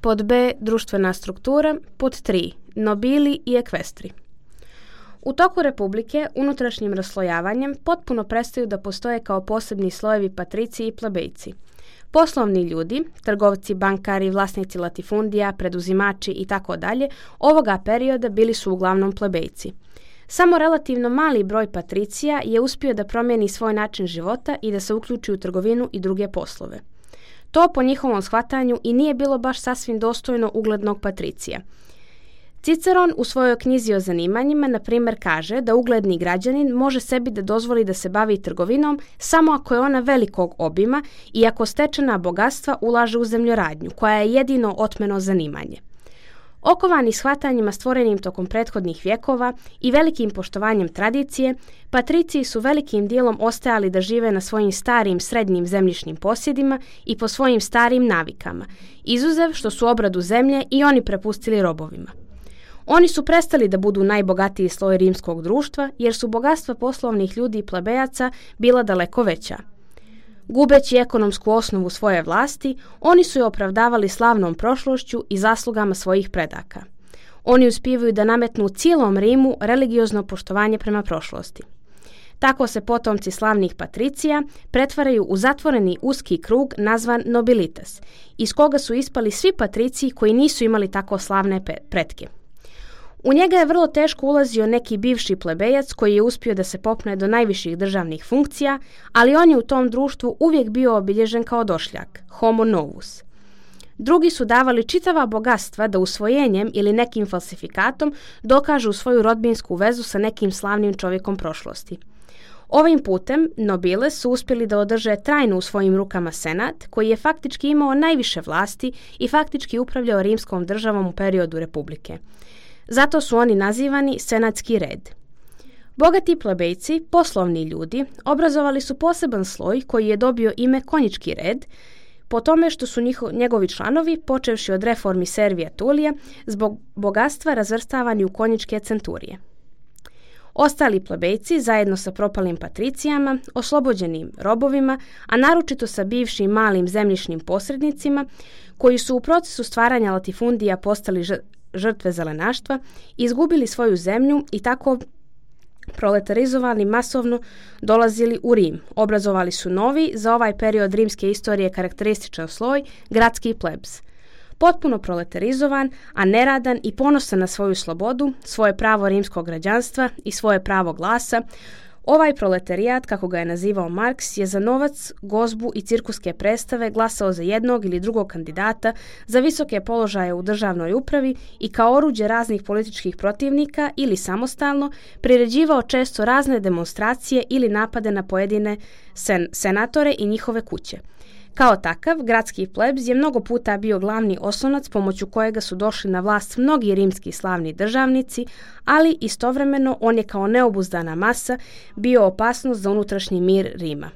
Pod B. Društvena struktura. Pod 3. Nobili i ekvestri. U toku Republike unutrašnjim raslojavanjem potpuno prestaju da postoje kao posebni slojevi patriciji i plebejci. Poslovni ljudi, trgovci, bankari, vlasnici latifundija, preduzimači itd. Ovoga perioda bili su uglavnom plebejci. Samo relativno mali broj patricija je uspio da promijeni svoj način života i da se uključi u trgovinu i druge poslove. To po njihovom shvatanju i nije bilo baš sasvim dostojno uglednog patricija. Ciceron u svojoj knjizi o zanimanjima, na primjer, kaže da ugledni građanin može sebi da dozvoli da se bavi trgovinom samo ako je ona velikog obima i ako stečena bogatstva ulaže u zemljoradnju, koja je jedino otmeno zanimanje. Okovani shvatanjima stvorenim tokom prethodnih vjekova i velikim poštovanjem tradicije, patriciji su velikim dijelom ostajali da žive na svojim starim srednjim zemljišnim posjedima i po svojim starim navikama, izuzev što su obradu zemlje i oni prepustili robovima. Oni su prestali da budu najbogatiji sloj rimskog društva jer su bogatstva poslovnih ljudi i plebejaca bila daleko veća. Gubeći ekonomsku osnovu svoje vlasti, oni su je opravdavali slavnom prošlošću i zaslugama svojih predaka. Oni uspijevaju da nametnu cijelom Rimu religiozno poštovanje prema prošlosti. Tako se potomci slavnih patricija pretvaraju u zatvoreni uski krug nazvan nobilitas, iz koga su ispali svi patriciji koji nisu imali tako slavne pretke. U njega je vrlo teško ulazio neki bivši plebejac koji je uspio da se popne do najviših državnih funkcija, ali on je u tom društvu uvijek bio obilježen kao došljak, homo novus. Drugi su davali čitava bogatstva da usvojenjem ili nekim falsifikatom dokažu svoju rodbinsku vezu sa nekim slavnim čovjekom prošlosti. Ovim putem nobiles su uspjeli da održe trajno u svojim rukama senat, koji je faktički imao najviše vlasti i faktički upravljao rimskom državom u periodu republike. Zato su oni nazivani senatski red. Bogati plebejci, poslovni ljudi, obrazovali su poseban sloj koji je dobio ime konjički red, po tome što su njegovi članovi, počevši od reformi Servija Tulija, zbog bogatstva razvrstavani u konjičke centurije. Ostali plebejci, zajedno sa propalim patricijama, oslobođenim robovima, a naročito sa bivšim malim zemljišnim posrednicima, koji su u procesu stvaranja latifundija postali žrtve zelenaštva, izgubili svoju zemlju i tako proletarizovani masovno dolazili u Rim. Obrazovali su novi, za ovaj period rimske istorije karakterističan sloj, gradski plebs. Potpuno proletarizovan, a neradan i ponosan na svoju slobodu, svoje pravo rimskog građanstva i svoje pravo glasa, ovaj proletarijat, kako ga je nazivao Marks, je za novac, gozbu i cirkuske predstave glasao za jednog ili drugog kandidata, za visoke položaje u državnoj upravi i kao oruđe raznih političkih protivnika ili samostalno priređivao često razne demonstracije ili napade na pojedine senatore i njihove kuće. Kao takav, gradski plebs je mnogo puta bio glavni oslonac pomoću kojega su došli na vlast mnogi rimski slavni državnici, ali istovremeno on je kao neobuzdana masa bio opasnost za unutrašnji mir Rima.